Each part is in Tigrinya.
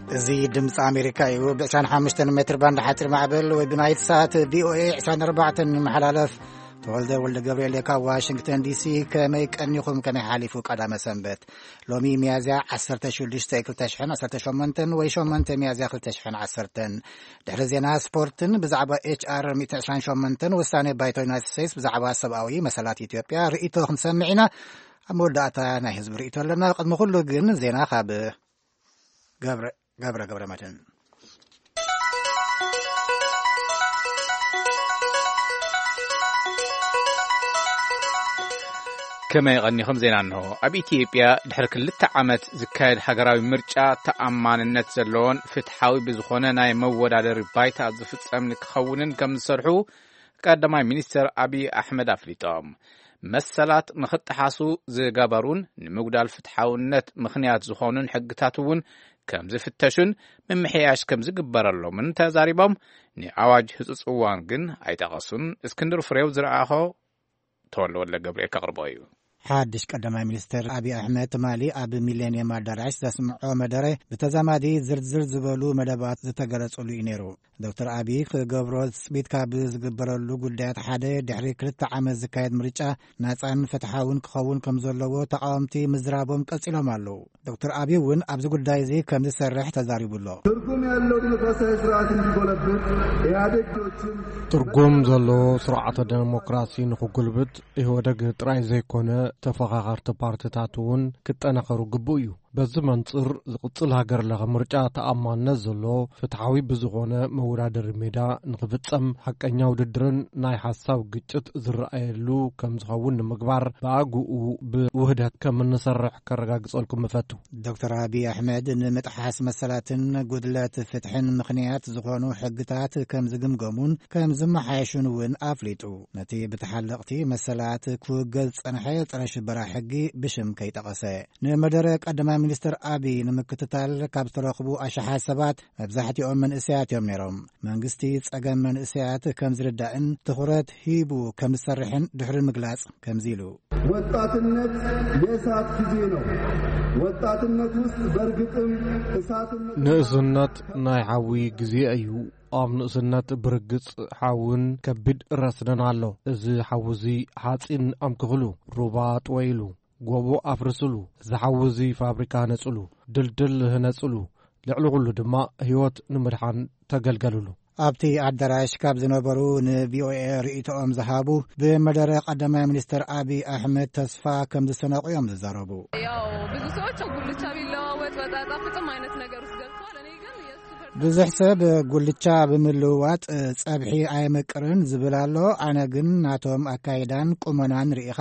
እዚ ድምፂ ኣሜሪካ እዩ። ብ25 ሜትር ባንድ ሓፂር ማዕበል ወይ ብናይት ሳት ቪ ኦ ኤ ዕስራን ኣርባዕተን ይመሓላለፍ። ተወልደ ወልደ ገብርኤል ካብ ዋሽንግተን ዲ ሲ። ከመይ ቀኒኹም? ከመይ ሓሊፉ ቀዳመ ሰንበት? ሎሚ ሚያዝያ ዓሰርተ ሽዱሽተ ክልተ ሽሕን ዓሰርተ ሸሞንተን ወይ ሸሞንተ ሚያዝያ ክልተ ሽሕን ዓሰርተን። ድሕሪ ዜና ስፖርትን ብዛዕባ ኤች ኣር ሚእቲ ዕስራን ሸሞንተን ውሳኔ ባይቶ ዩናይትድ ስቴትስ ብዛዕባ ሰብኣዊ መሰላት ኢትዮጵያ ርእይቶ ክንሰምዕ ኢና። ኣብ መወዳእታ ናይ ህዝቢ ርእይቶ ኣለና። ቅድሚ ኩሉ ግን ዜና ካብ ገብረ፣ ገብረ፣ ገብረ መድህን። ከመይ ቀኒኹም? ዜና እንሆ። ኣብ ኢትዮጵያ ድሕሪ ክልተ ዓመት ዝካየድ ሃገራዊ ምርጫ ተኣማንነት ዘለዎን ፍትሓዊ ብዝኾነ ናይ መወዳደሪ ባይታ ዝፍጸም ንክኸውንን ከም ዝሰርሑ ቀዳማይ ሚኒስትር ኣብይ ኣሕመድ ኣፍሊጦም። መሰላት ንኽጠሓሱ ዝገበሩን ንምጉዳል ፍትሓውነት ምኽንያት ዝኾኑን ሕግታት እውን ከም ዝፍተሹን ምምሕያሽ ከም ዝግበረሎምን ተዛሪቦም። ንኣዋጅ ህጹጽ እዋን ግን ኣይጠቐሱን። እስክንድር ፍሬው ዝረኣኾ ተወልደ ወልደ ገብርኤል ከቕርቦ እዩ። ሓድሽ ቀዳማይ ሚኒስትር ኣብይ ኣሕመድ ትማሊ ኣብ ሚሌኒየም ኣዳራሽ ዘስምዖ መደረ ብተዛማዲ ዝርዝር ዝበሉ መደባት ዝተገለጹሉ እዩ ነይሩ። ዶክተር ኣብይ ክገብሮ ትጽቢት ካብ ዝግበረሉ ጉዳያት ሓደ ድሕሪ ክልተ ዓመት ዝካየድ ምርጫ ናጻን ፍትሓውን ክኸውን ከም ዘለዎ ተቃወምቲ ምዝራቦም ቀጺሎም ኣለዉ። ዶክተር ኣብይ እውን ኣብዚ ጉዳይ እዚ ከም ዝሰርሕ ተዛሪቡ ኣሎ። ትርጉም ያለው ዲሞክራሲያዊ ስርዓት እንዲጎለብት ኢህአዴግ ዶችን ትርጉም ዘለዎ ስርዓተ ዴሞክራሲ ንኽጉልብት ኢህወደግ ጥራይ ዘይኮነ ተፈኻኻርቲ ፓርቲታት እውን ክጠናኸሩ ግቡእ እዩ። በዚ መንጽር ዝቕጽል ሃገር ለኸ ምርጫ ተኣማንነት ዘሎ ፍትሓዊ ብዝኾነ መወዳደሪ ሜዳ ንኽፍጸም ሓቀኛ ውድድርን ናይ ሓሳብ ግጭት ዝረኣየሉ ከም ዝኸውን ንምግባር ብኣግኡ ብውህደት ከም እንሰርሕ ከረጋግጸልኩም እፈቱ። ዶክተር ኣብይ ኣሕመድ ንምጥሓስ መሰላትን ጉድለት ፍትሕን ምኽንያት ዝኾኑ ሕግታት ከም ዝግምገሙን ከም ዝመሓየሹን እውን ኣፍሊጡ። ነቲ ብተሓለቕቲ መሰላት ክውገዝ ዝጸንሐ ጸረ ሽበራ ሕጊ ብሽም ከይጠቐሰ። ንመደረ ቀዳማይ ሚኒስትር ኣብይ ንምክትታል ካብ ዝተረኽቡ ኣሽሓት ሰባት መብዛሕትኦም መንእሰያት እዮም ነይሮም። መንግስቲ ጸገም መንእሰያት ከም ዝርዳእን ትኹረት ሂቡ ከም ዝሰርሕን ድሕሪ ምግላጽ ከምዚ ኢሉ። ወጣትነት የእሳት ጊዜ ነው። ወጣትነት ውስጥ በእርግጥም እሳትነት ንእስነት ናይ ሓዊ ግዜ እዩ። ኣብ ንእስነት ብርግጽ ሓውን ከቢድ ረስንን ኣሎ። እዚ ሓዊ እዚ ሓጺን ኣምክኽሉ፣ ሩባ ጥወይሉ፣ ጎቦ ኣፍርስሉ፣ እዚ ሓዊ እዚ ፋብሪካ ህነጽሉ፣ ድልድል ህነጽሉ፣ ልዕሊ ኩሉ ድማ ህይወት ንምድሓን ተገልገልሉ። ኣብቲ ኣዳራሽ ካብ ዝነበሩ ን ቪ ኦ ኤ ርእይቶኦም ዝሃቡ፣ ብመደረ ቀዳማይ ሚኒስትር ኣብይ ኣሕመድ ተስፋ ከም ዝሰነቑ እዮም ዝዛረቡ። ያው ብዙ ሰዎች ጉልቻ ቢለዋወጥ ወጥ አይጣፍጥም አይነት ነገር ውስጥ ገብተዋል። እኔ ግን የእሱ ብዙሕ ሰብ ጉልቻ ብምልውዋጥ ጸብሒ ኣየመቅርን ዝብል ኣሎ። ኣነ ግን ናቶም ኣካይዳን ቁመናን ርኢኻ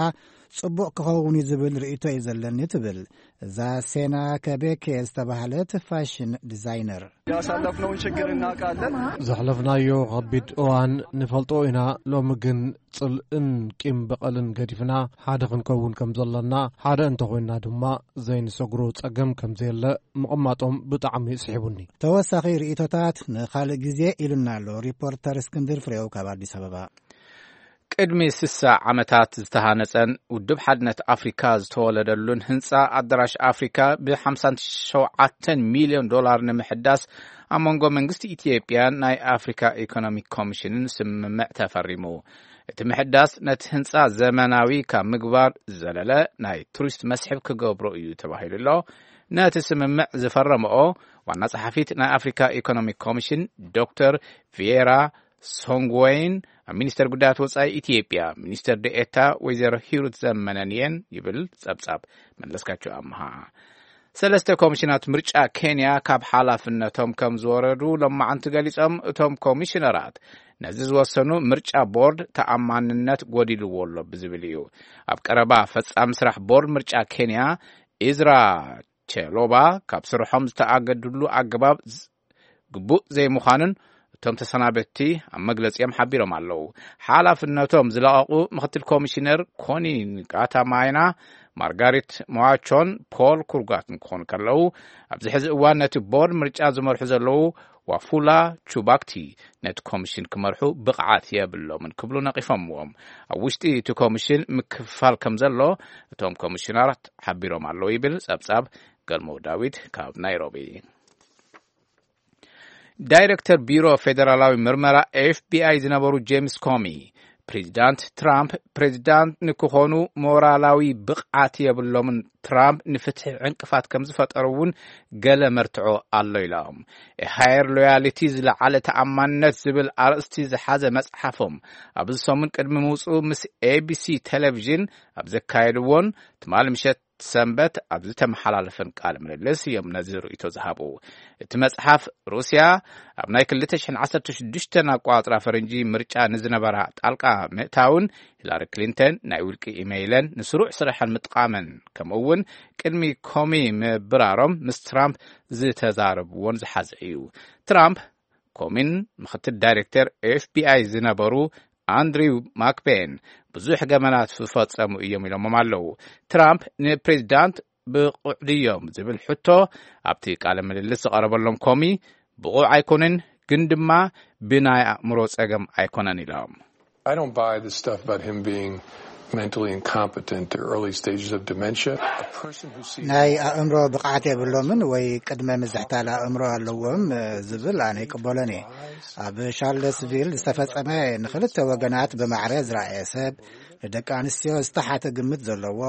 ጽቡቕ ክኸውን እዩ ዝብል ርእይቶ እዩ ዘለኒ ትብል እዛ ሴና ከቤኬ ዝተባህለት ፋሽን ዲዛይነር። ያሳለፍነውን ችግር እናውቃለን። ዘሕለፍናዮ ከቢድ እዋን ንፈልጦ ኢና። ሎሚ ግን ጽልእን ቂም በቐልን ገዲፍና ሓደ ክንከውን ከም ዘለና፣ ሓደ እንተኾይንና ድማ ዘይንሰግሮ ጸገም ከም ዘየለ ምቕማጦም ብጣዕሚ ስሒቡኒ። ተወሳኺ ርእይቶታት ንኻልእ ግዜ ኢሉና ኣሎ ሪፖርተር እስክንድር ፍሬው ካብ ኣዲስ ኣበባ። ቅድሚ ስሳ ዓመታት ዝተሃነጸን ውድብ ሓድነት ኣፍሪካ ዝተወለደሉን ህንጻ ኣዳራሽ ኣፍሪካ ብ57 ሚልዮን ዶላር ንምሕዳስ ኣብ መንጎ መንግስቲ ኢትዮጵያን ናይ ኣፍሪካ ኢኮኖሚክ ኮሚሽንን ስምምዕ ተፈሪሙ። እቲ ምሕዳስ ነቲ ህንጻ ዘመናዊ ካብ ምግባር ዝዘለለ ናይ ቱሪስት መስሕብ ክገብሮ እዩ ተባሂሉ ኣሎ። ነቲ ስምምዕ ዝፈረመኦ ዋና ጸሓፊት ናይ ኣፍሪካ ኢኮኖሚክ ኮሚሽን ዶክተር ቪየራ ሶንግወይን ኣብ ሚኒስተር ጉዳያት ወጻኢ ኢትዮጵያ ሚኒስተር ደኤታ ወይዘሮ ሂሩት ዘመነን እየን ይብል ጸብጻብ መለስካቸው ኣምሃ። ሰለስተ ኮሚሽናት ምርጫ ኬንያ ካብ ሓላፍነቶም ከም ዝወረዱ ሎማዓንቲ ገሊጾም። እቶም ኮሚሽነራት ነዚ ዝወሰኑ ምርጫ ቦርድ ተኣማንነት ጎዲልዎ ኣሎ ብዝብል እዩ። ኣብ ቀረባ ፈጻሚ ስራሕ ቦርድ ምርጫ ኬንያ ኢዝራ ቸሎባ ካብ ስርሖም ዝተኣገድሉ ኣገባብ ዝ-፣ ግቡእ ዘይምዃኑን እቶም ተሰናበትቲ ኣብ መግለጺኦም ሓቢሮም ኣለዉ። ሓላፍነቶም ዝለቐቑ ምክትል ኮሚሽነር ኮኒን ቃታማይና፣ ማርጋሪት ሞዋቾን ፖል ኩርጋትን ክኾኑ ከለዉ፣ ኣብዚ ሕዚ እዋን ነቲ ቦርድ ምርጫ ዝመርሑ ዘለዉ ዋፉላ ቹባክቲ ነቲ ኮሚሽን ክመርሑ ብቕዓት የብሎምን ክብሉ ነቒፎምዎም። ኣብ ውሽጢ እቲ ኮሚሽን ምክፍፋል ከም ዘሎ እቶም ኮሚሽነራት ሓቢሮም ኣለዉ ይብል ጸብጻብ ገልሞ ዳዊት ካብ ናይሮቢ። ዳይሬክተር ቢሮ ፌደራላዊ ምርመራ ኤፍቢኣይ ዝነበሩ ጄምስ ኮሚ፣ ፕሬዚዳንት ትራምፕ ፕሬዚዳንት ንክኾኑ ሞራላዊ ብቕዓት የብሎምን፣ ትራምፕ ንፍትሒ ዕንቅፋት ከም ዝፈጠሩ እውን ገለ መርትዖ ኣሎ ኢሎም። ሃየር ሎያሊቲ፣ ዝለዓለ ተኣማንነት ዝብል ኣርእስቲ ዝሓዘ መጽሓፎም ኣብዚ ሰሙን ቅድሚ ምውጽኡ ምስ ኤቢሲ ቴሌቪዥን ኣብ ዘካየድዎን ትማሊ ምሸት ሰንበት ኣብ ዝተመሓላለፈን ቃለ ምልልስ እዮም ነዚ ርእይቶ ዝሃቡ። እቲ መጽሓፍ፣ ሩስያ ኣብ ናይ ክልተ ሽሕን ዓሰርተ ሽዱሽተን ኣቋጽራ ፈረንጂ ምርጫ ንዝነበራ ጣልቃ ምእታውን፣ ሂላሪ ክሊንተን ናይ ውልቂ ኢሜይለን ንስሩዕ ስራሐን ምጥቃመን፣ ከምኡ እውን ቅድሚ ኮሚ ምብራሮም ምስ ትራምፕ ዝተዛረብዎን ዝሓዘ እዩ። ትራምፕ ኮሚን ምክትል ዳይሬክተር ኤፍቢኣይ ዝነበሩ ኣንድሪው ማክቤን ብዙሕ ገመናት ዝፈጸሙ እዮም ኢሎሞም ኣለዉ። ትራምፕ ንፕሬዚዳንት ብቑዕ ድዮም ዝብል ሕቶ ኣብቲ ቃለ ምልልስ ዝቐረበሎም ኮሚ፣ ብቑዕ ኣይኮነን፣ ግን ድማ ብናይ ኣእምሮ ጸገም ኣይኮነን ኢሎም። I don't buy the stuff about him being mentally incompetent or early stages of dementia. A person who sees ናይ ኣእምሮ ብቕዓት የብሎምን ወይ ቅድመ ምዝሕታል ኣእምሮ ኣለዎም ዝብል ኣነ ይቅበሎን እየ። ኣብ ሻርለስቪል ዝተፈጸመ ንክልተ ወገናት ብማዕረ ዝረኣየ ሰብ፣ ንደቂ ኣንስትዮ ዝተሓተ ግምት ዘለዎ፣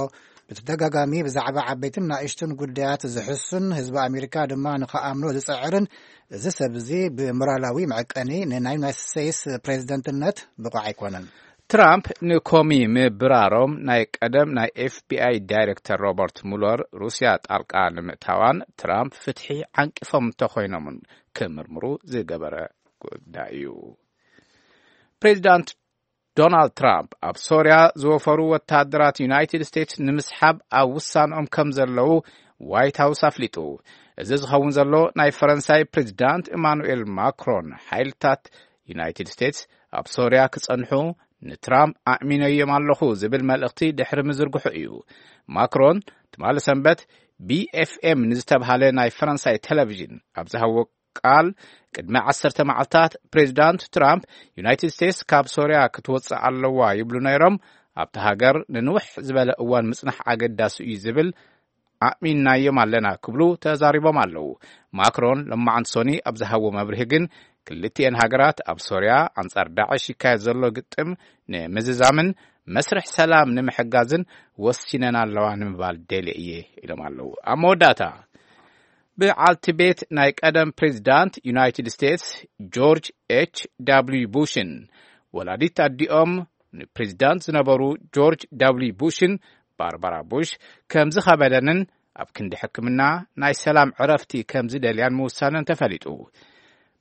ብተደጋጋሚ ብዛዕባ ዓበይትን ናእሽቱን ጉዳያት ዝሕሱን ህዝቢ ኣሜሪካ ድማ ንክኣምኖ ዝጽዕርን፣ እዚ ሰብ እዚ ብሞራላዊ መዐቀኒ ንናይ ዩናይትድ ስቴትስ ፕሬዚደንትነት ብቑዕ ኣይኮነን። ትራምፕ ንኮሚ ምብራሮም ናይ ቀደም ናይ ኤፍቢኣይ ዳይሬክተር ሮበርት ሙለር ሩስያ ጣልቃ ንምእታዋን ትራምፕ ፍትሒ ዓንቂፎም እንተኾይኖምን ክምርምሩ ዝገበረ ጉዳይ እዩ። ፕሬዚዳንት ዶናልድ ትራምፕ ኣብ ሶርያ ዝወፈሩ ወታደራት ዩናይትድ ስቴትስ ንምስሓብ ኣብ ውሳንኦም ከም ዘለዉ ዋይት ሃውስ ኣፍሊጡ። እዚ ዝኸውን ዘሎ ናይ ፈረንሳይ ፕሬዚዳንት ኢማኑኤል ማክሮን ሓይልታት ዩናይትድ ስቴትስ ኣብ ሶርያ ክጸንሑ ንትራምፕ ኣእሚነዮም ኣለኹ ዝብል መልእኽቲ ድሕሪ ምዝርግሑ እዩ። ማክሮን ትማሊ ሰንበት ቢኤፍኤም ንዝተብሃለ ናይ ፈረንሳይ ቴሌቪዥን ኣብ ዝሃቦ ቃል፣ ቅድሚ ዓሰርተ መዓልታት ፕሬዚዳንት ትራምፕ ዩናይትድ ስቴትስ ካብ ሶርያ ክትወጽእ ኣለዋ ይብሉ ነይሮም። ኣብቲ ሃገር ንንውሕ ዝበለ እዋን ምጽናሕ ኣገዳሲ እዩ ዝብል ኣእሚንናዮም ኣለና ክብሉ ተዛሪቦም ኣለዉ። ማክሮን ለማዓንቲ ሶኒ ኣብ ዝሃቦ መብርሂ ግን፣ ክልቲኤን ሃገራት ኣብ ሶርያ ኣንጻር ዳዕሽ ይካየድ ዘሎ ግጥም ንምዝዛምን መስርሕ ሰላም ንምሕጋዝን ወሲነን ኣለዋ ንምባል ደልየ እየ ኢሎም ኣለዉ። ኣብ መወዳእታ፣ በዓልቲ ቤት ናይ ቀደም ፕሬዚዳንት ዩናይትድ ስቴትስ ጆርጅ ኤች ዳብልዩ ቡሽን ወላዲት ኣዲኦም ንፕሬዚዳንት ዝነበሩ ጆርጅ ዳብልዩ ቡሽን ባርባራ ቡሽ ከም ዝኸበደንን ኣብ ክንዲ ሕክምና ናይ ሰላም ዕረፍቲ ከም ዝደልያን ምውሳነን ተፈሊጡ።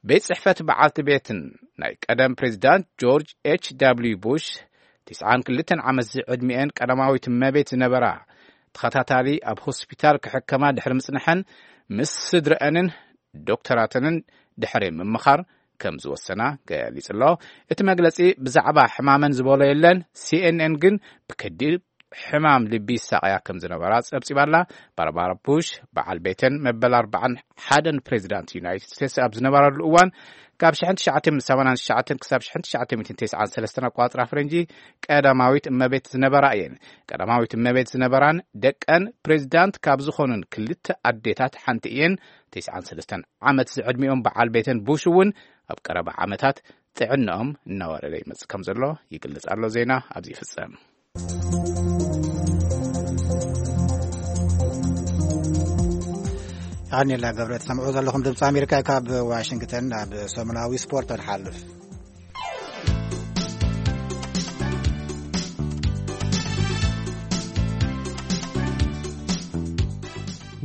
ቤት ጽሕፈት በዓልቲ ቤትን ናይ ቀደም ፕሬዚዳንት ጆርጅ ኤች ዳብልዩ ቡሽ፣ ትስዓን ክልተን ዓመት ዝዕድሚኤን ቀዳማዊት እመቤት ዝነበራ፣ ተኸታታሊ ኣብ ሆስፒታል ክሕከማ ድሕሪ ምጽንሐን ምስ ስድረአንን ዶክተራተንን ድሕሪ ምምኻር ከም ዝወሰና ገሊጹ ኣሎ። እቲ መግለጺ ብዛዕባ ሕማመን ዝበሎ የለን። ሲኤንኤን ግን ብከቢድ ሕማም ልቢ ይሳቐያ ከም ዝነበራ ጸብጺባ ኣላ። ባርባራ ቡሽ በዓል ቤተን መበል ኣርባዓን ሓደን ፕሬዚዳንት ዩናይትድ ስቴትስ ኣብ ዝነበራሉ እዋን፣ ካብ ሽሕን ትሽዓተ ሚእትን ሰማንያን ትሽዓተን ክሳብ ሽሕን ትሽዓተ ሚእትን ተስዓን ሰለስተን ኣቋጽራ ፈረንጂ፣ ቀዳማዊት እመቤት ዝነበራ እየን። ቀዳማዊት እመቤት ዝነበራን ደቀን ፕሬዚዳንት ካብ ዝኾኑን ክልተ ኣዴታት ሓንቲ እየን። ተስዓን ሰለስተን ዓመት ዝዕድሚኦም በዓል ቤተን ቡሽ እውን ኣብ ቀረባ ዓመታት ጥዕናኦም እናወረደ ይመጽእ ከም ዘሎ ይግለጽ ኣሎ። ዜና ኣብዚ ይፍጸም። የቐንየልና ገብረ። ትሰምዑ ዘለኹም ድምፂ ኣሜሪካ ካብ ዋሽንግተን። ናብ ሰሙናዊ ስፖርት ንሓልፍ።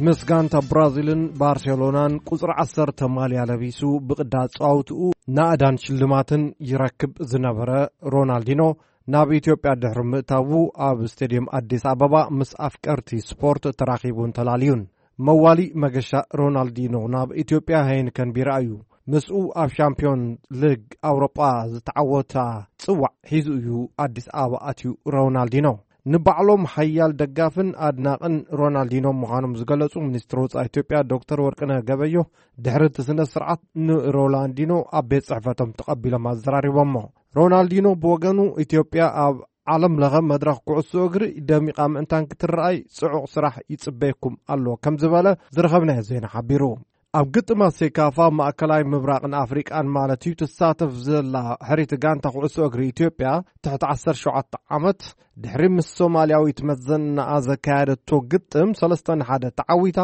ምስ ጋንታ ብራዚልን ባርሴሎናን ቁጽሪ ዓሰርተ ማልያ ለቢሱ ብቕዳ ጻውትኡ ናእዳን ሽልማትን ይረክብ ዝነበረ ሮናልዲኖ፣ ናብ ኢትዮጵያ ድሕሪ ምእታዉ፣ ኣብ ስቴድየም ኣዲስ ኣበባ ምስ ኣፍቀርቲ ስፖርት ተራኺቡን ተላልዩን። መዋሊ መገሻ ሮናልዲኖ ናብ ኢትዮጵያ ሀይንከን ቢራ እዩ። ምስኡ ኣብ ሻምፒዮን ሊግ ኣውሮጳ ዝተዓወታ ጽዋዕ ሒዙ እዩ ኣዲስ ኣበባ ኣትዩ ሮናልዲኖ። ንባዕሎም ሓያል ደጋፍን ኣድናቕን ሮናልዲኖ ምዃኖም ዝገለጹ ሚኒስትር ወጻኢ ኢትዮጵያ ዶክተር ወርቅነህ ገበዮ፣ ድሕሪ እቲ ስነ ስርዓት ንሮናልዲኖ ኣብ ቤት ጽሕፈቶም ተቐቢሎም ኣዘራሪቦሞ። ሮናልዲኖ ብወገኑ፣ ኢትዮጵያ ኣብ ዓለም ለኸ መድረኽ ኩዕሶ እግሪ ደሚቓ ምእንታን ክትረኣይ ጽዑቕ ስራሕ ይጽበየኩም ኣሎ ከም ዝበለ ዝረኸብናዮ ዜና ሓቢሩ። ኣብ ግጥማት ሴካፋ ማእከላይ ምብራቕን ኣፍሪቃን ማለት እዩ ትሳተፍ ዘላ ሕሪት ጋንታ ኩዕሶ እግሪ ኢትዮጵያ ትሕቲ ዓሰርተ ሸውዓተ ዓመት ድሕሪ ምስ ሶማልያዊት መዘናኣ ዘካየደቶ ግጥም ሰለስተ ንሓደ ተዓዊታ፣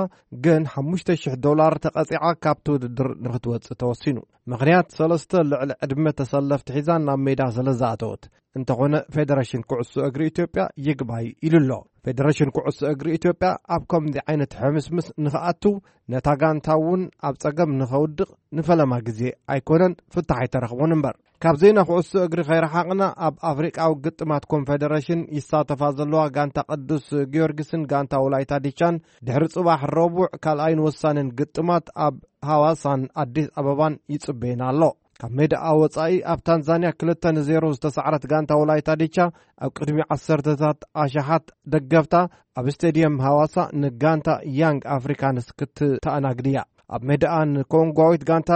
ግን ሓሙሽተ ሽሕ ዶላር ተቐጺዓ ካብቲ ውድድር ንክትወጽእ ተወሲኑ። ምኽንያት ሰለስተ ልዕሊ ዕድመ ተሰለፍቲ ሒዛ ናብ ሜዳ ስለ ዝኣተወት። እንተኾነ ፌደሬሽን ኩዕሶ እግሪ ኢትዮጵያ ይግባይ ኢሉ ኣሎ። ፌደሬሽን ኩዕሶ እግሪ ኢትዮጵያ ኣብ ከምዚ ዓይነት ሕምስምስ ንኽኣቱ ነታ ጋንታ እውን ኣብ ጸገም ንኸውድቕ ንፈለማ ግዜ ኣይኮነን ፍታሕ ኣይተረኽቦን እምበር። ካብ ዜና ኩዕሶ እግሪ ከይረሓቕና ኣብ ኣፍሪቃዊ ግጥማት ኮንፌደሬሽን ይሳተፋ ዘለዋ ጋንታ ቅዱስ ጊዮርጊስን ጋንታ ወላይታ ዲቻን ድሕሪ ጽባሕ ረቡዕ ካልኣይን ወሳንን ግጥማት ኣብ ሃዋሳን ኣዲስ ኣበባን ይጽበየና ኣሎ። ካብ ሜዳኣ ወጻኢ ኣብ ታንዛንያ ክልተ ንዜሮ ዝተሳዕረት ጋንታ ወላይታ ዲቻ ኣብ ቅድሚ ዓሰርተታት ኣሽሓት ደገፍታ ኣብ ስቴድየም ሃዋሳ ንጋንታ ያንግ ኣፍሪካንስ ክትተኣናግድ እያ። ኣብ ሜዳኣ ንኮንጓዊት ጋንታ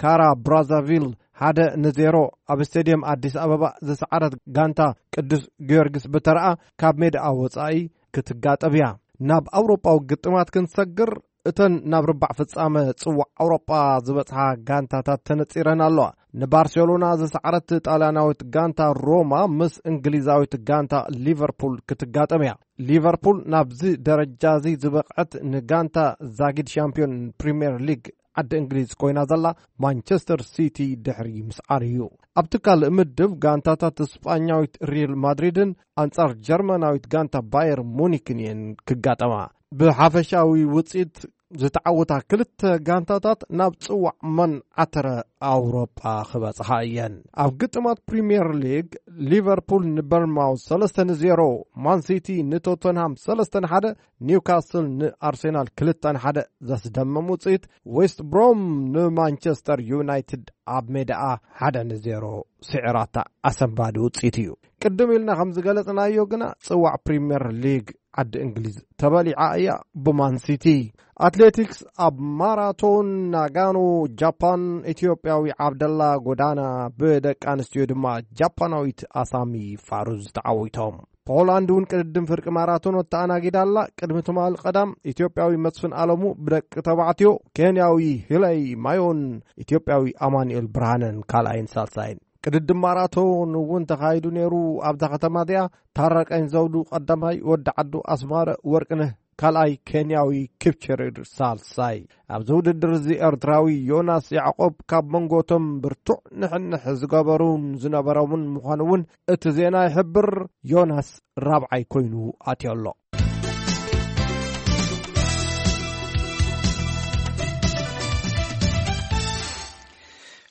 ካራ ብራዛቪል ሓደ ንዜሮ ኣብ ስቴድየም ኣዲስ ኣበባ ዝሰዓረት ጋንታ ቅዱስ ጊዮርጊስ ብተረኣ ካብ ሜዳኣ ወጻኢ ክትጋጠም እያ። ናብ ኣውሮጳዊ ግጥማት ክንሰግር እተን ናብ ርባዕ ፍጻመ ጽዋዕ ኣውሮጳ ዝበጽሓ ጋንታታት ተነጺረን ኣለዋ። ንባርሴሎና ዝሰዓረት ጣልያናዊት ጋንታ ሮማ ምስ እንግሊዛዊት ጋንታ ሊቨርፑል ክትጋጠም እያ። ሊቨርፑል ናብዚ ደረጃ እዚ ዝበቕዐት ንጋንታ ዛጊድ ሻምፒዮን ፕሪምየር ሊግ ዓዲ እንግሊዝ ኮይና ዘላ ማንቸስተር ሲቲ ድሕሪ ምስዓር እዩ። ኣብቲ ካልእ ምድብ ጋንታታት ስጳኛዊት ሪል ማድሪድን ኣንጻር ጀርመናዊት ጋንታ ባየር ሙኒክን እየን ክጋጠማ። ብሓፈሻዊ ውጽኢት ዝተዓወታ ክልተ ጋንታታት ናብ ጽዋዕ መን ዓተረ ኣውሮጳ ክበጽሓ እየን። ኣብ ግጥማት ፕሪምየር ሊግ ሊቨርፑል ንበርንማውዝ ሰለስተ ንዜሮ፣ ማን ሲቲ ንቶተንሃም ሰለስተ ንሓደ፣ ኒውካስል ንኣርሴናል ክልተ ንሓደ ዘስደምም ውጽኢት፣ ዌስት ብሮም ንማንቸስተር ዩናይትድ ኣብ ሜዳኣ ሓደ ንዜሮ ስዒራታ ኣሰንባዲ ውጽኢት እዩ። ቅድም ኢልና ከም ዝገለጽናዮ ግና ጽዋዕ ፕሪምየር ሊግ ዓዲ እንግሊዝ ተበሊዓ እያ ብማን ሲቲ። ኣትሌቲክስ ኣብ ማራቶን ናጋኖ ጃፓን ኢትዮጵያዊ ዓብደላ ጎዳና ብደቂ ኣንስትዮ ድማ ጃፓናዊት ኣሳሚ ፋሩዝ ተዓዊቶም። ፖላንድ እውን ቅድድም ፍርቂ ማራቶን ተኣናጊዳ ኣላ። ቅድሚ ትማሊ ቀዳም ኢትዮጵያዊ መስፍን ኣለሙ ብደቂ ተባዕትዮ፣ ኬንያዊ ሂለይ ማዮን ኢትዮጵያዊ ኣማኑኤል ብርሃነን ካልኣይን ሳልሳይን። ቅድድም ማራቶን እውን ተኻይዱ ነይሩ። ኣብዛ ከተማ እዚኣ ታረቀኝ ዘውዱ ቀዳማይ፣ ወዲ ዓዱ ኣስማረ ወርቅነህ ካልኣይ፣ ኬንያዊ ኪፕቸርችር ሳልሳይ። ኣብዚ ውድድር እዚ ኤርትራዊ ዮናስ ያዕቆብ ካብ መንጎ እቶም ብርቱዕ ንሕንሕ ዝገበሩን ዝነበሮምን ምዃኑ እውን እቲ ዜና ይሕብር። ዮናስ ራብዓይ ኮይኑ ኣትዮ ኣሎ።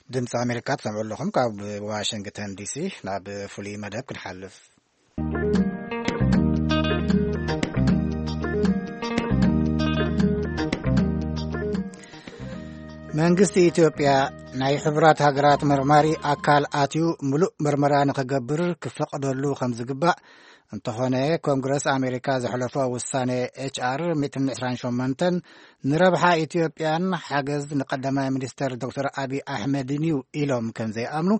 ድምፂ ኣሜሪካ ትሰምዑ ኣለኹም። ካብ ዋሽንግተን ዲሲ ናብ ፍሉይ መደብ ክንሓልፍ። መንግስቲ ኢትዮጵያ ናይ ሕቡራት ሃገራት መርማሪ ኣካል ኣትዩ ምሉእ መርመራ ንኸገብር ክፈቕደሉ ከም ዝግባእ፣ እንተኾነ ኮንግረስ ኣሜሪካ ዘሕለፎ ውሳነ ኤች ኣር ሚእትን ዕስራን ሸሞንተን ንረብሓ ኢትዮጵያን ሓገዝ ንቀዳማይ ሚኒስተር ዶክተር ኣቢ ኣሕመድን እዩ ኢሎም ከም ዘይኣምኑ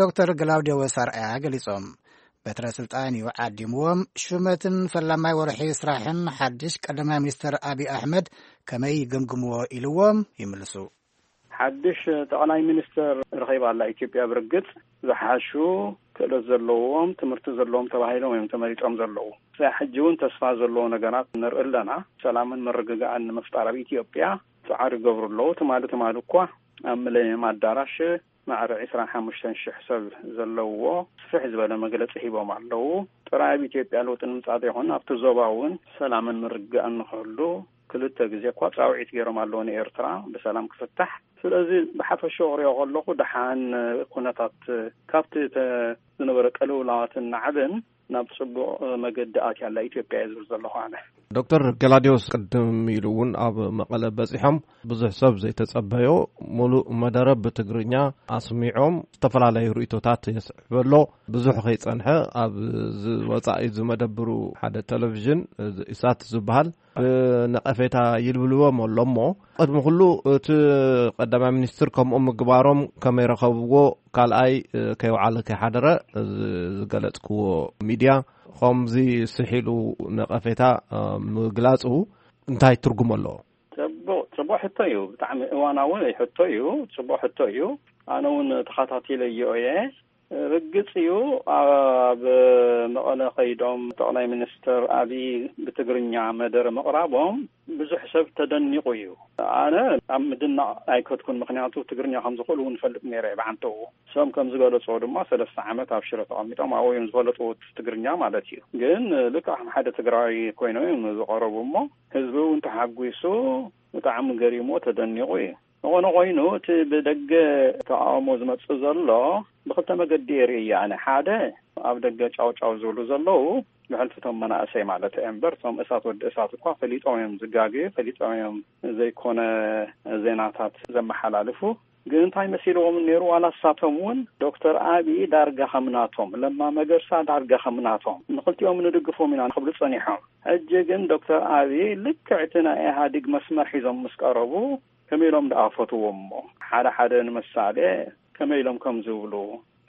ዶክተር ግላውዲዮስ ኣርኣያ ገሊጾም። በትረ ስልጣን እዩ ዓዲምዎም። ሹመትን ፈላማይ ወርሒ ስራሕን ሓድሽ ቀዳማይ ሚኒስተር ኣቢ ኣሕመድ ከመይ ይግምግምዎ ኢልዎም ይምልሱ። ሓድሽ ጠቕላይ ሚኒስተር ረኺባ ኣላ ኢትዮጵያ። ብርግጽ ዝሓሹ ክእለት ዘለዎም፣ ትምህርቲ ዘለዎም ተባሂሎም እዮም ተመሪጾም ዘለዉ። ክሳዕ ሕጂ እውን ተስፋ ዘለዎ ነገራት ንርኢ ኣለና። ሰላምን ምርግጋእን ንምፍጣር ኣብ ኢትዮጵያ ጻዕሪ ይገብሩ ኣለዉ። ትማሊ ትማሊ እኳ ኣብ ሚሌኒየም ኣዳራሽ ማዕረ ዕስራን ሓሙሽተን ሽሕ ሰብ ዘለዎ ስፍሕ ዝበለ መግለጺ ሂቦም ኣለዉ። ጥራይ ኣብ ኢትዮጵያ ለውጢ ንምምጻእ ዘይኮነ፣ ኣብቲ ዞባ እውን ሰላምን ምርግጋእን ንኽህሉ ክልተ ግዜ እኳ ጻውዒት ገይሮም ኣለዉ ንኤርትራ ብሰላም ክፍታሕ። ስለዚ ብሓፈሻ ክሪኦ ከለኹ ደሓን ኩነታት ካብቲ ተ-፣ ዝነበረ ቅልውላዋትን ናዕብን ናብ ጽቡቕ መገዲ ኣትያ ኣላ ኢትዮጵያ እየ ዝብል ዘለኹ ኣነ። ዶክተር ገላዲዮስ ቅድም ኢሉ እውን ኣብ መቐለ በጺሖም ብዙሕ ሰብ ዘይተጸበዮ ሙሉእ መደረ ብትግርኛ ኣስሚዖም። ዝተፈላለዩ ርእይቶታት የስዕብ ኣሎ። ብዙሕ ከይጸንሐ ኣብ ዝ-፣ ወጻኢ ዝመደብሩ ሓደ ቴሌቪዥን፣ እዚ ኢሳት ዝበሃል፣ ብነቐፌታ ይልብልዎም ኣሎ እሞ፣ ቅድሚ ኩሉ እቲ ቀዳማይ ሚኒስትር ከምኡ ምግባሮም ከመይ ረኸብዎ፣ ካልኣይ፣ እ፣ ከይውዓለ ከይሓደረ፣ እ፣ ዝገለጽክዎ ሚድያ፣ ከምዚ ስሒሉ ነቐፌታ፣ እ፣ ምግላጹ እንታይ ትርጉም ኣለዎ? ጽቡቕ፣ ጽቡቕ ሕቶ እዩ። ብጣዕሚ እዋናዊ ሕቶ እዩ። ጽቡቕ ሕቶ እዩ። ኣነ እውን ተኸታቲለዮ እየ። ርግጽ እዩ፣ ኣብ መቐለ ከይዶም ጠቕላይ ሚኒስትር ኣብይ ብትግርኛ መደረ ምቕራቦም ብዙሕ ሰብ ተደኒቑ እዩ። ኣነ ኣብ ምድናቕ ኣይከድኩን፣ ምኽንያቱ ትግርኛ ከም ዝኽእሉ እውን እፈልጥ ነይረ እየ ብዓንተኡ። እሶም ከም ዝገለጽዎ ድማ ሰለስተ ዓመት ኣብ ሽረ ተቐሚጦም ኣብኡ እዮም ዝፈለጥዎ ትግርኛ ማለት እዩ። ግን ልክዕ ከም ሓደ ትግራዊ ኮይኖም እዮም ዝቐረቡ እሞ ህዝቢ እውን ተሓጒሱ ብጣዕሚ ገሪሞ ተደኒቑ እዩ። ዝኾነ ኮይኑ እቲ ብደገ ተቓውሞ ዝመጽእ ዘሎ ብኽልተ መገዲ የርኢ እየ ኣነ። ሓደ ኣብ ደገ ጫው ጫው ዝብሉ ዘለዉ ብሕልፊ እቶም መናእሰይ ማለት እየ እምበር እቶም እሳት ወዲ እሳት እኳ ፈሊጦም እዮም ዝጋግዩ፣ ፈሊጦም እዮም ዘይኮነ ዜናታት ዘመሓላልፉ። ግን እንታይ መሲልዎም ነይሩ? ዋላ እሳቶም እውን ዶክተር ኣብይ ዳርጋ ከምናቶም፣ ለማ መገርሳ ዳርጋ ከምናቶም ንኽልቲኦም ንድግፎም ኢና ክብሉ ጸኒሖም። ሕጂ ግን ዶክተር ኣብይ ልክዕ እቲ ናይ ኢህኣዲግ መስመር ሒዞም ምስ ቀረቡ ከመይ ኢሎም ደኣ ፈትዎም እሞ ሓደ ሓደ ንምሳሌ ከመይ ኢሎም ከም ዝብሉ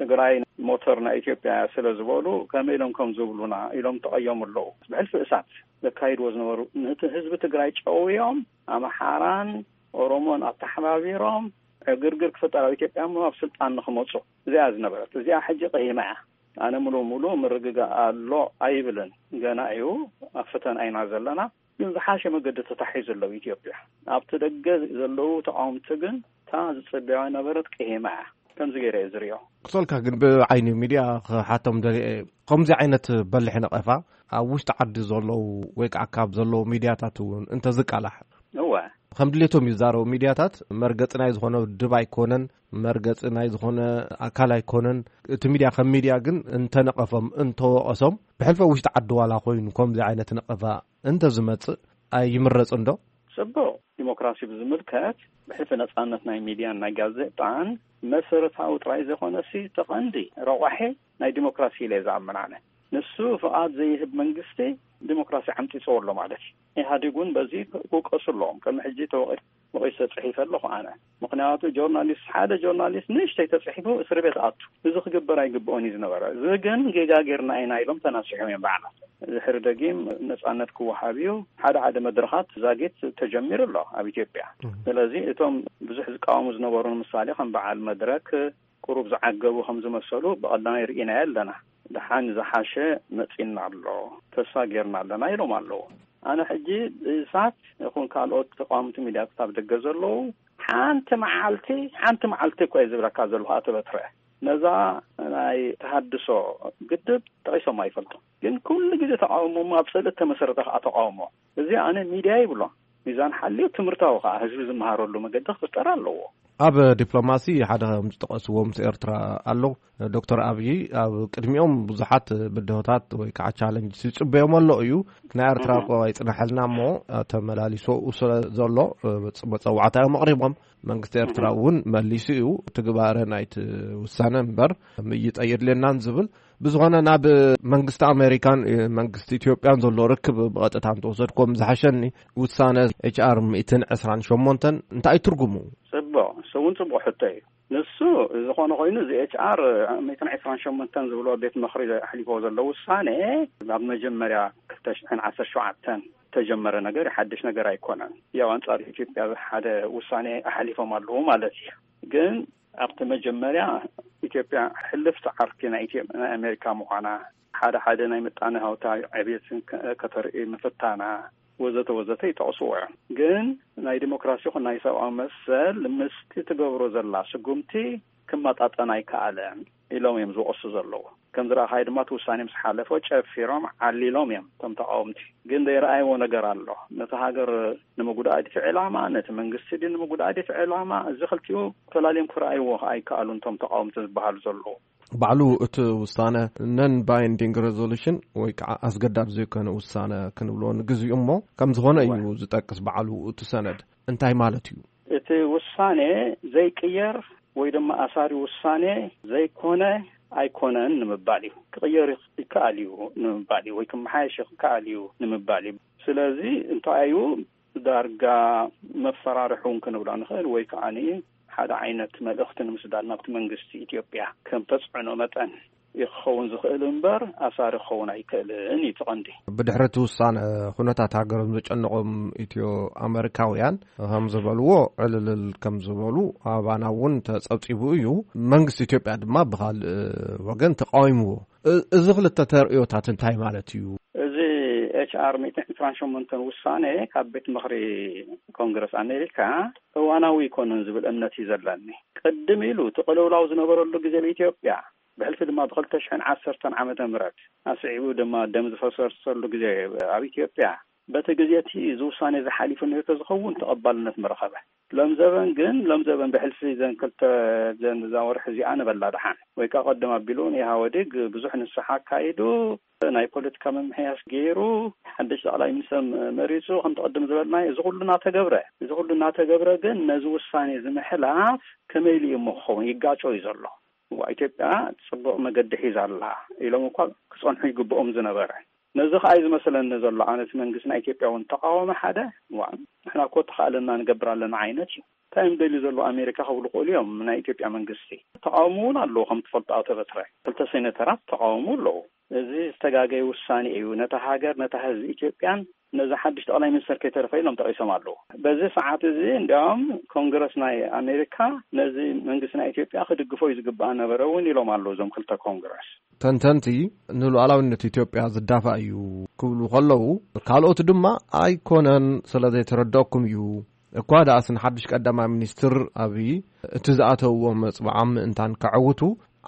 ትግራይ ሞተር ናይ ኢትዮጵያ ስለ ዝበሉ ከመይ ኢሎም ከም ዝብሉና ኢሎም ተቐየሙ ኣለዉ። ብሕልፊ እሳት ዘካይድዎ ዝነበሩ ነቲ ህዝቢ ትግራይ ጨውዮም ኣምሓራን ኦሮሞን ኣተሓባቢሮም ዕግርግር ክፍጠር ኣብ ኢትዮጵያ እሞ ኣብ ስልጣን ንክመፁ እዚኣ ዝነበረት እዚኣ ሕጂ ቀይማ እያ። ኣነ ሙሉ ሙሉ ምርግጋእ ኣሎ ኣይብልን። ገና እዩ ኣብ ፈተና ኢና ዘለና። ግን ዝሓሸ መገዲ ተታሒዙ ኣሎ ኢትዮጵያ። ኣብቲ ደገ ዘለዉ ተቃወምቲ ግን እታ ዝፅበያ ነበረት ቅሄማ እያ። ከምዚ ገይረ እየ ዝሪኦ። ክሰልካ ግን ብዓይኒ ሚድያ ክሓቶም ደልየ እየ። ከምዚ ዓይነት በልሒ ነቐፋ ኣብ ውሽጢ ዓዲ ዘለዉ ወይ ከዓ ካብ ዘለዉ ሚድያታት እውን እንተዝቃላሕ እወ። ከም ድሌቶም ይዛረቡ ሚድያታት መርገፂ ናይ ዝኾነ ውድብ ኣይኮነን፣ መርገፂ ናይ ዝኾነ ኣካል ኣይኮነን። እቲ ሚድያ ከም ሚድያ ግን እንተነቐፎም እንተወቐሶም ብሕልፈ ውሽጢ ዓዲ ዋላ ኮይኑ ከምዚ ዓይነት ነቐፋ እንተዝመፅእ ኣይምረፅን ዶ? ጽቡቕ። ዲሞክራሲ ብዝምልከት ብሕልፊ ነጻነት ናይ ሚድያን ናይ ጋዜጣን መሰረታዊ ጥራይ ዘይኮነሲ ተቐንዲ ረቋሒ ናይ ዲሞክራሲ ኢለ እየ ዝኣምን ኣነ። ንሱ ፍቓድ ዘይህብ መንግስቲ ዲሞክራሲ ዓምጺጽዎ ኣሎ ማለት እዩ። ኢህኣዴግ እውን በዚ ክውቀሱ ኣለዎም። ከም ሕጂ ተወቒ- ወቒሰ ጽሒፈ ኣለኹ ኣነ። ምኽንያቱ ጆርናሊስት ሓደ ጆርናሊስት ንእሽተይ ተጽሒፉ እስሪ ቤት ኣቱ። እዚ ክግበር ኣይግብኦን እዩ ዝነበረ። እዚ ግን ጌጋ ጌርና ኢና ኢሎም ተናሲሖም እዮም ባዕላት። ድሕሪ ደጊም ነጻነት ክወሃብ እዩ። ሓደ ሓደ መድረኻት ዛጊት ተጀሚሩ ኣሎ ኣብ ኢትዮጵያ። ስለዚ እቶም ብዙሕ ዝቃወሙ ዝነበሩ ንምሳሌ ከም በዓል መድረክ ቁሩብ ዝዓገቡ ከም ዝመሰሉ ብቐዳማይ ርኢናዮ ኣለና። ደሓን ዝሓሸ መጺና ኣሎ። ተስፋ ጌርና ኣለና ኢሎም ኣለዉ። ኣነ ሕጂ እሳት ይኹን ካልኦት ተቃወምቲ ሚድያታት ኣብ ደገ ዘለዉ ሓንቲ መዓልቲ ሓንቲ መዓልቲ እኮ እየ ዝብለካ ዘለኹ ኣቶ በትረ ነዛ ናይ ተሃድሶ ግድብ ጠቒሶም ኣይፈልጡ። ግን ኩሉ ግዜ ተቃውሞ ኣብ ጽልእ ተመሰረተ ከዓ ተቃውሞ እዚ ኣነ ሚድያ ይብሎ። ሚዛን ሓልዮ ትምህርታዊ ከዓ ህዝቢ ዝመሃረሉ መገዲ ክፍጠር ኣለዎ። ኣብ ዲፕሎማሲ ሓደ ከም ዝጠቐስዎ ምስ ኤርትራ ኣሎ። ዶክተር ኣብይ ኣብ ቅድሚኦም ብዙሓት ብድሆታት ወይ ከዓ ቻለንጅ ይፅበዮም ኣሎ እዩ። ናይ ኤርትራ እኮ ኣይፅናሐልና እሞ ተመላሊሶ ስለ ዘሎ መፀዋዕታ እዮም ኣቕሪቦም። መንግስቲ ኤርትራ እውን መሊሱ እዩ ትግባረ ናይቲ ውሳነ እምበር ምይጠ የድልየናን ዝብል ብዝኾነ ናብ መንግስቲ ኣሜሪካን መንግስቲ ኢትዮጵያን ዘሎ ርክብ ብቐጥታ እንተወሰድኩም ዝሓሸኒ። ውሳነ ኤች ኣር ሚእትን ዕስራን ሸሞንተን እንታይ ትርጉሙ? ጽቡቕ፣ እሱ እውን ጽቡቕ ሕቶ እዩ። ንሱ ዝኾነ ኮይኑ እዚ ኤች ኣር ሚእትን ዕስራን ሸሞንተን ዝብሎ ቤት ምኽሪ ኣሕሊፎ ዘሎ ውሳኔ ኣብ መጀመርያ ክልተ ሽሕን ዓሰርተ ሸውዓተን ተጀመረ ነገር ሓድሽ ነገር ኣይኮነን። ያው ኣንጻር ኢትዮጵያ ሓደ ውሳኔ ኣሕሊፎም ኣለዉ ማለት እዩ። ግን ኣብቲ መጀመርያ ኢትዮጵያ ሕልፍቲ ዓርኪ ናይ ኢትዮ- ናይ ኣሜሪካ ምዃና ሓደ ሓደ ናይ ምጣነ ሃውታዊ ዕብየትን ከ- ከተርኢ ምፍታና ወዘተ ወዘተ ይጠቕስዎ እዮም። ግን ናይ ዲሞክራሲ ይኹን ናይ ሰብኣዊ መሰል ምስቲ ትገብሮ ዘላ ስጉምቲ ክመጣጠን ኣይከኣለን ኢሎም እዮም ዝወቕሱ ዘለዉ። ከም ዝረኣኻዮ ድማ እቲ ውሳኔ ምስ ሓለፎ ጨፊሮም ዓሊሎም እዮም እቶም ተቃወምቲ። ግን ዘይረኣይዎ ነገር ኣሎ። ነቲ ሃገር ንምጉዳእ ድቲ ዕላማ ነቲ መንግስቲ ድ ንምጉዳእ ድቲ ዕላማ እዚ ክልቲኡ ተላልዮም ክረኣይዎ ኣይከኣሉን እቶም ተቃወምቲ ዝበሃሉ ዘለዉ። ባዕሉ እቲ ውሳነ ነን ባይንዲንግ ሬዞሉሽን ወይ ከዓ ኣስገዳድ ዘይኮነ ውሳነ ክንብሎ ንግዚኡ እሞ ከም ዝኾነ እዩ ዝጠቅስ ባዕሉ እቲ ሰነድ። እንታይ ማለት እዩ? እቲ ውሳኔ ዘይቅየር ወይ ድማ ኣሳሪ ውሳኔ ዘይኮነ ኣይኮነን ንምባል እዩ። ክቕየር ይከኣል እዩ ንምባል እዩ ወይ ክመሓየሽ ይከኣል እዩ ንምባል እዩ። ስለዚ እንታይ እዩ ዳርጋ መፈራርሒ እውን ክንብሎ ንኽእል ወይ ከዓ ሓደ ዓይነት መልእኽቲ ንምስዳድ ናብቲ መንግስቲ ኢትዮጵያ ከም ተፅዕኖ መጠን እዩ ክኸውን ዝኽእል እምበር ኣሳሪ ክኸውን ኣይክእልን እዩ እቲ ቀንዲ። ብድሕሪ እቲ ውሳነ፣ ኩነታት ሃገሮም ዘጨነቖም ኢትዮ ኣመሪካውያን ከም ዝበልዎ፣ ዕልልል ከም ዝበሉ ኣባና እውን ተጸብጺቡ እዩ። መንግስቲ ኢትዮጵያ ድማ ብኻልእ ወገን ተቃዊምዎ። እ-፣ እዚ ክልተ ተርእዮታት እንታይ ማለት እዩ? እዚ ኤች ኣር ሚእትን ዕስራን ሸሞንተን ውሳኔ ካብ ቤት ምኽሪ ኮንግረስ ኣሜሪካ እዋናዊ ኣይኮነን ዝብል እምነት እዩ ዘለኒ። ቅድም ኢሉ እቲ ቅልውላው ዝነበረሉ ግዜ ኣብ ኢትዮጵያ፣ ብሕልፊ ድማ ብኽልተ ሽሕን ዓሰርተን ዓመተ ምህረት ኣስዒቡ ድማ ደም ዝፈሰሰሉ ግዜ ኣብ ኢትዮጵያ፣ በቲ ግዜ እቲ እዚ ውሳኔ ዝሓሊፉ ነይሩ ተዝኸውን ተቐባልነት ምረኸበ። ሎም ዘበን ግን፣ ሎም ዘበን ብሕልፊ ዘን ክልተ፣ ዘን እዛ ወርሒ እዚኣ ንበላ ደሓን፣ ወይ ከኣ ቀደም ኣቢሉ ንኢህወዴግ ብዙሕ ንስሓ ኣካይዱ፣ ናይ ፖለቲካ ምምሕያሽ ገይሩ፣ ሓድሽ ጠቕላይ ሚኒስተር መሪጹ፣ ከምቲ ቅድም ዝበልናዮ፣ እዚ ኩሉ እናተገብረ፣ እዚ ኩሉ እናተገብረ ግን ነዚ ውሳኔ እዚ ምሕላፍ ከመይ ኢሉ እዩ እሞ ክኸውን? ይጋጮ እዩ ዘሎ። እዋ፣ ኢትዮጵያ ጽቡቕ መገዲ ሒዛ ኣላ ኢሎም እኳ ክጸንሑ ይግብኦም ዝነበረ። ነዚ ከኣ እዩ ዝመስለኒ ዘሎ። ኣነ እቲ መንግስቲ ናይ ኢትዮጵያ እውን ተቃወመ ሓደ፣ እዋ፣ ንሕና እኮ ተኻእለና ንገብር ኣለና ዓይነት እዩ። እንታይ እዮም ደልዩ ዘለዉ ኣሜሪካ ክብሉ ክእሉ እዮም። ናይ ኢትዮጵያ መንግስቲ ተቃውሞ እውን ኣለዎ፣ ከም ትፈልጡ፣ ኣቶ በትረ። ክልተ ሴኔተራት ተቃውሞ ኣለዉ። እዚ ዝተጋገየ ውሳኔ እዩ። ነታ ሃገር፣ ነታ ህዝቢ ኢትዮጵያን ነዚ ሓድሽ ጠቕላይ ሚኒስተር ከይተረፈ ኢሎም ጠቒሶም ኣለዉ። በዚ ሰዓት እዚ እንዲያውም ኮንግረስ ናይ ኣሜሪካ ነዚ መንግስቲ ናይ ኢትዮጵያ ክድግፎ እዩ ዝግባእ ነበረ እውን ኢሎም ኣለዉ እዞም ክልተ ኮንግረስ። ተንተንቲ ንሉዓላውነት ኢትዮጵያ ዝዳፋእ እዩ ክብሉ ከለዉ፣ ካልኦት ድማ ኣይኮነን፣ ስለ ዘይተረድኦኩም እዩ። እኳ ደኣስ ንሓድሽ ቀዳማይ ሚኒስትር ኣብይ እቲ ዝኣተውዎ መጽብዓም ምእንታን ከዐውቱ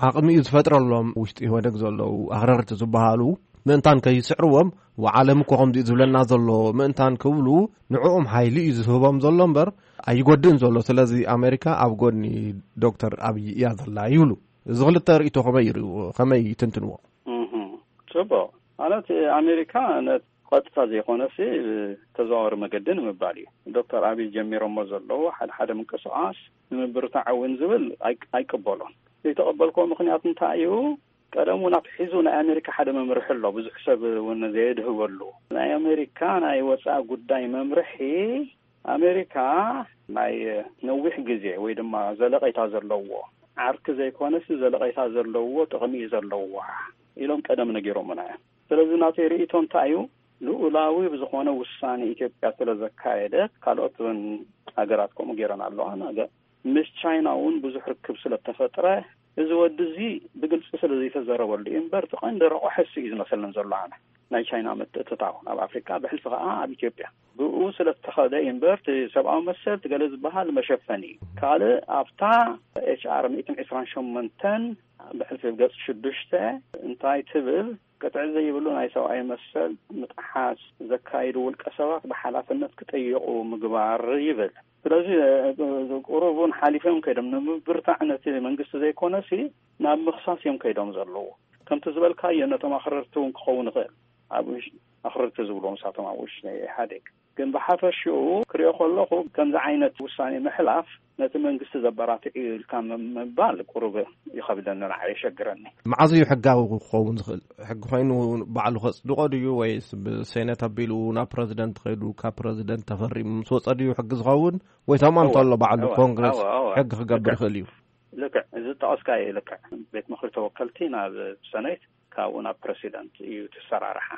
ዓቕሚ እዩ ዝፈጥረሎም። ውሽጢ ኢህወደግ ዘለዉ ኣኽረርቲ ዝበሃሉ ምእንታን ከይስዕርዎም፣ ወዓለም እኮ ከምዚ እዩ ዝብለና ዘሎ ምእንታን ክብሉ ንዕኦም ሓይሊ እዩ ዝህቦም ዘሎ እምበር ኣይጎድእን ዘሎ። ስለዚ ኣሜሪካ ኣብ ጎኒ ዶክተር ኣብይ እያ ዘላ ይብሉ። እዚ ክልተ ርእይቶ ከመይ ይርእዎ? ከመይ ይትንትንዎ? እህ፣ ጽቡቕ። ማለት ኣሜሪካ ነት-፣ ቀጥታ ዘይኮነሲ ብተዘዋዋሪ መገዲ ንምባል እዩ። ዶክተር ኣብይ ጀሚሮሞ ዘለዉ ሓደ ሓደ ምንቅስቓስ ንምብርታዕ እውን ዝብል ኣይ-፣ ኣይቅበሎን። ዘይተቐበልክዎ ምኽንያት እንታይ እዩ? ቀደም እውን ኣትሒዙ ናይ ኣሜሪካ ሓደ መምርሒ ኣሎ፣ ብዙሕ ሰብ እውን ዘየድህበሉ። ናይ ኣሜሪካ ናይ ወጻኢ ጉዳይ መምርሒ፣ ኣሜሪካ ናይ ነዊሕ ግዜ ወይ ድማ ዘለቐይታ ዘለዎ ዓርኪ ዘይኮነስ፣ ዘለቐይታ ዘለዎ ጥቕሚ እዩ ዘለዋ ኢሎም ቀደም ነጊሮምና እዮም። ስለዚ ናተይ ርእይቶ እንታይ እዩ? ልኡላዊ ብዝኾነ ውሳኔ ኢትዮጵያ ስለ ዘካየደት፣ ካልኦት እውን ሃገራት ከምኡ ገይረን ኣለዋ። ነገ ምስ ቻይና እውን ብዙሕ ርክብ ስለ ተፈጥረ፣ እዚ ወዲ እዚ ብግልጺ ስለ ዘይተዘረበሉ እዩ እምበር፣ እቲ ቀንዲ ረቑሐ እሱ እዩ ዝመስለኒ ዘሎ ኣነ። ናይ ቻይና ምትእትታው ኣብ ኣፍሪቃ፣ ብሕልፊ ከኣ ኣብ ኢትዮጵያ። ብኡ ስለ ዝተኸደ እዩ እምበር፣ እቲ ሰብኣዊ መሰል፣ እቲ ገለ ዝበሃል መሸፈኒ እዩ። ካልእ ኣብታ ኤች ኣር ሚእትን ዕስራን ሸሞንተን ብሕልፊ ገጽ ሽዱሽተ እንታይ ትብል? ቅጥዒ ዘይብሉ ናይ ሰብኣዊ መሰል ምጥሓስ ዘካይዱ ውልቀ ሰባት ብሓላፍነት ክጥየቑ ምግባር ይብል። ስለዚ፣ እ፣ ቁሩብ እውን ሓሊፎም ከይዶም ንምብርታዕ ነቲ መንግስቲ ዘይኮነሲ ናብ ምኽሳስ እዮም ከይዶም ዘለዉ። ከምቲ ዝበልካዮ ነቶም ኣኽረርቲ እውን ክኸውን ይኽእል። ኣብ ውሽ-፣ ኣኽረርቲ ዝብልዎም ንሳቶም ኣብ ውሽጢ ናይ ኢህኣዴግ። ግን ብሓፈሽኡ ክሪኦ ከለኹ ከምዚ ዓይነት ውሳኔ ምሕላፍ ነቲ መንግስቲ ዘበራትዕ እዩ ኢልካ ም-፣ ምባል ቁሩብ ይኸብደኒ፣ ንዓይ የሸግረኒ። መዓዝ እዩ ሕጋዊ ክኸውን ዝኽእል? ሕጊ ኮይኑ ባዕሉ ከጽድቆ ድዩ ወይስ ብሴኔት ኣቢሉ ናብ ፕረዚደንት ከይዱ ካብ ፕረዚደንት ተፈሪሙ ምስ ወጸ ድዩ ሕጊ ዝኸውን? ወይ ተማን እወ፣ እንተሎ ባዕሉ እወ፣ ኮንግረስ እወ፣ እወ። ሕጊ ክገብር ልክዕ። ይኽእል እዩ? ልክዕ፣ እዚ ዝጠቐስካዮ እዩ ልክዕ። ቤት ምኽሪ ተወከልቲ ናብ ሰኔት፣ ካብኡ ናብ ፕረሲደንት እዩ እቲ ኣሰራርሓ።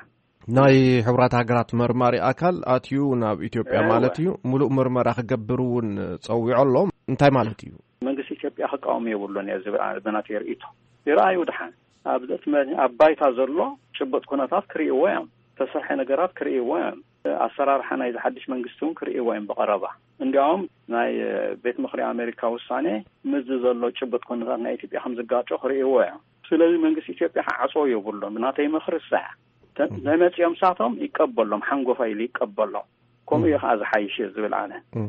ናይ ሕቡራት ሃገራት መርማሪ ኣካል ኣትዩ ናብ ኢትዮጵያ እወ። ማለት እዩ፣ ምሉእ ምርመራ ክገብር እውን ጸዊዑ ኣሎ። እንታይ ማለት እዩ? መንግስቲ ኢትዮጵያ ክቃወም የብሉን እየ ዝብል ኣነ ብናተይ ርእይቶ። ይረኣዩ ድሓን። ኣብ ዘትመ-፣ ኣብ ባይታ ዘሎ ጭቡጥ ኩነታት ክርእይዎ እዮም። ተሰርሐ ነገራት ክርእይዎ እዮም። ኣሰራርሓ ናይዚ ሓድሽ መንግስቲ እውን ክርእይዎ እዮም ብቐረባ። እንዲያውም ናይ፣ እ፣ ቤት ምኽሪ ኣሜሪካ ውሳኔ ምስዚ ዘሎ ጭቡጥ ኩነታት ናይ ኢትዮጵያ ከም ዝጋጮ ክርእይዎ እዮም። ስለዚ መንግስቲ ኢትዮጵያ ክዓጽዎ የብሉን። ብናተይ ምኽሪ እሳ እያ። ተ-፣ እም። ተመጺኦም ሳቶም ይቀበሎም፣ ሓንጎፋ ኢሉ ይቀበሎም። ከምኡ እዩ እም። ከዓ ዝሓይሽ እየ ዝብል ኣነ። እም።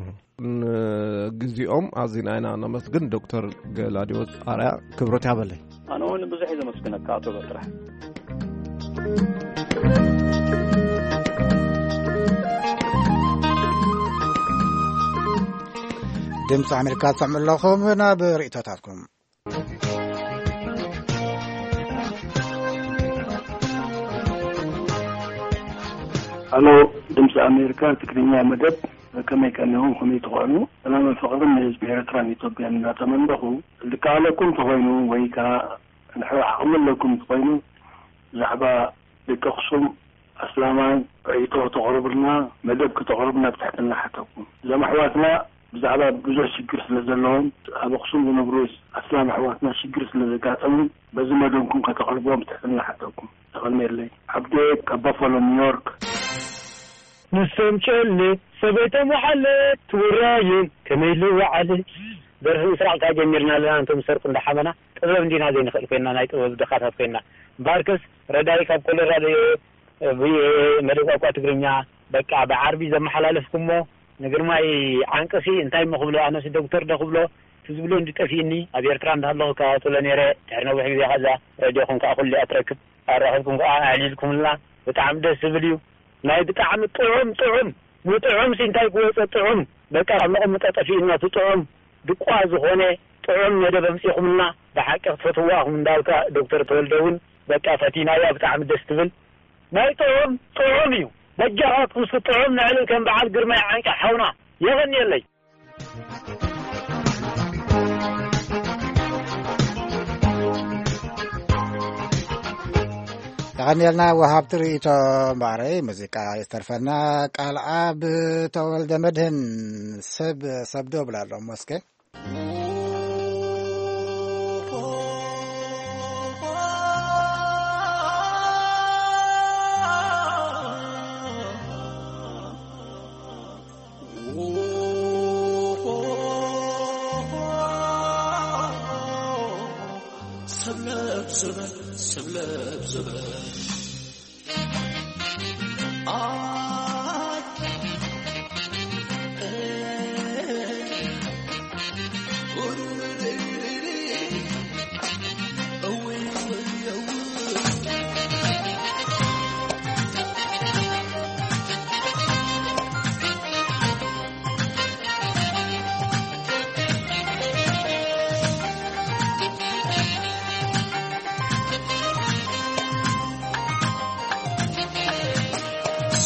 ንግዜኦም ኣዚና ኢና ነመስግን ዶክተር ገላዲዮስ ኣርያ፣ ክብረት ያበለይ። ኣነ እውን ብዙሕ እየ ዘመስግነካ ኣቶ በትረ። ድምፂ ኣሜሪካ ትሰምዑ ኣለኹም። ናብ ርእይቶታትኩም። ኣሎ። ድምፂ ኣሜሪካ ትግርኛ መደብ፣ ከመይ ቀኒኹም፣ ከመይ ትኾኑ? ሰላምን ፍቕርን ንህዝቢ ኤርትራን ኢትዮጵያን እናተመንደኹ፣ ልከኣለኩም ተኾይኑ ወይ ከዓ ንሕና ዓቕሚ ኣለኩም እንተኾይኑ ብዛዕባ ደቂ ኣኽሱም ኣስላማይ ርእይቶ ከተቕርቡልና፣ መደብ ከተቕርቡልና ብትሕትና ሓተኩም። እዞም ኣሕዋትና ብዛዕባ ብዙሕ ሽግር ስለ ዘለዎም፣ ኣብ ኣኽሱም ዝነብሩ ኣስላም ኣሕዋትና ሽግር ስለ ዘጋጠሙ፣ በዚ መደብኩም ከተቕርብዎም ብትሕትና ሓተኩም። ተቐልሜለይ ዓብደ ካብ ባፋሎ ኒውዮርክ። ንሶም ጨሌ ሰበይቶም ወሓለ ትውራዮም ከመይ ልወዓለ። ደርፊ ምስራቕ ካብ ጀሚርና ኣለና፣ እንቶም ሰርቁ እንዳሓመና ጥበብ እንዲና ዘይንኽእል ኮይና፣ ናይ ጥበብ ድኻታት ኮይና። እምበኣርከስ ረዳይ ካብ ኮሎራዶ እየ፣ ብቪኦኤ መደብ ቋንቋ ትግርኛ በቃ ብዓርቢ ዘመሓላለፍኩሞ ንግርማይ ዓንቅሲ እንታይ እሞ ክብሎ፣ ኣነስ ዶክተር ዶ ክብሎ፣ እቲ ዝብሎ እንዲ ጠፊእኒ። ኣብ ኤርትራ እንዳሃለኹ እከታተሎ ነይረ፣ ድሕሪ ነዊሕ ግዜ ከዛ ረድዮኹም ከኣ ኩሉ እያ ትረክብ፣ ኣራኺብኩም ከኣ ኣዕሊልኩምልና፣ ብጣዕሚ ደስ ዝብል እዩ። ናይ ብጣዕሚ ጥዑም ጥዑም፣ ንጥዑም ሲ እንታይ ክወፀ ጥዑም፣ በቃ ካብ መቐመጦ ጠፊእና እቲ ጥዑም ድቋ ዝኾነ ጥዑም መደብ ኣምጺኹምልና፣ ብሓቂ ክትፈትውዋ ኢኹም እንዳልካ ዶክተር ተወልደ እውን በቃ ፈቲናያ፣ ብጣዕሚ ደስ ትብል። ናይ ጥዑም ጥዑም እዩ። በጃኻትኩም እስኪ ጥዑም ነዕልል ከም በዓል ግርማይ ዓንቂ ሓውና። የቐንየለይ። የቐንየልና ወሃብቲ ርእይቶ። እምበኣረይ ሙዚቃ ዝተርፈና። ቃል ኣብ ተወልደ መድህን ሰብ ሰብ ዶ ብላ ኣሎ ሞስከ። ሰብለብ ሰበል ሰብለብ ሰበል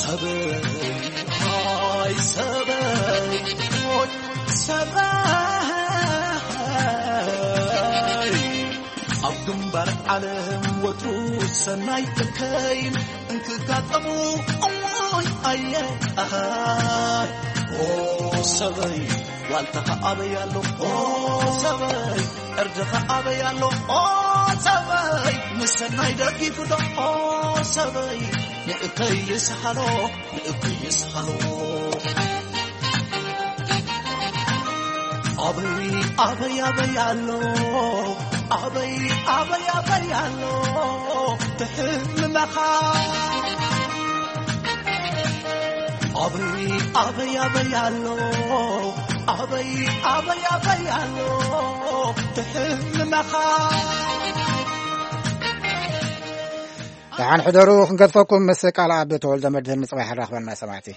ሰበይ ሃይ ሰበይ ሞት ሰበይ ኣብ ግንባር ዓለም ወትሩ ሰናይ እከይን እንትጋጠሙ እሞይ ኣየ ኣኻይ ኦ ሰበይ ዋልታኻ ኣበይ ኣሎ ኦ ሰበይ ዕርድኻ ኣበይ ኣሎ ኦ ሰበይ ንሰናይ ደጊፉ ዶ ኦ ሰበይ ንእከይ ይስሓሎ ንእከይ ይስሓሎ ኣበይ ኣበይ ኣበይ ኣሎ ኣበይ ኣበይ ኣበይ ኣሎ ትሕልመኻ ኣበይ ኣበይ ኣበይ ኣሎ ኣበይ ኣበይ ኣበይ ኣሎ ትሕልመኻ ደሓን ሕደሩ። ክንገድፈኩም ምስ ቃል ኣብ ተወልደ መድህን ንጽባሕ ራኽበና ሰማዕቲ።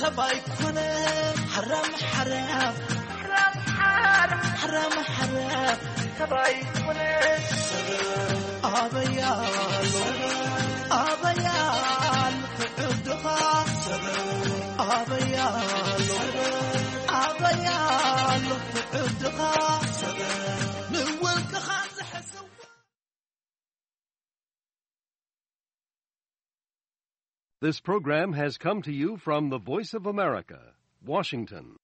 ሰባይ ኩነ ሓራም ሓራም ሓራም ሓራም ሓራም ሓራም ሰባይ ኩነ ኣበያሎ ኣበያሎ ትዕድኻ ኣበያሎ ኣበያሎ ትዕድኻ ንወልቅኻ ዝሕስው This program has come to you from the Voice of America, Washington.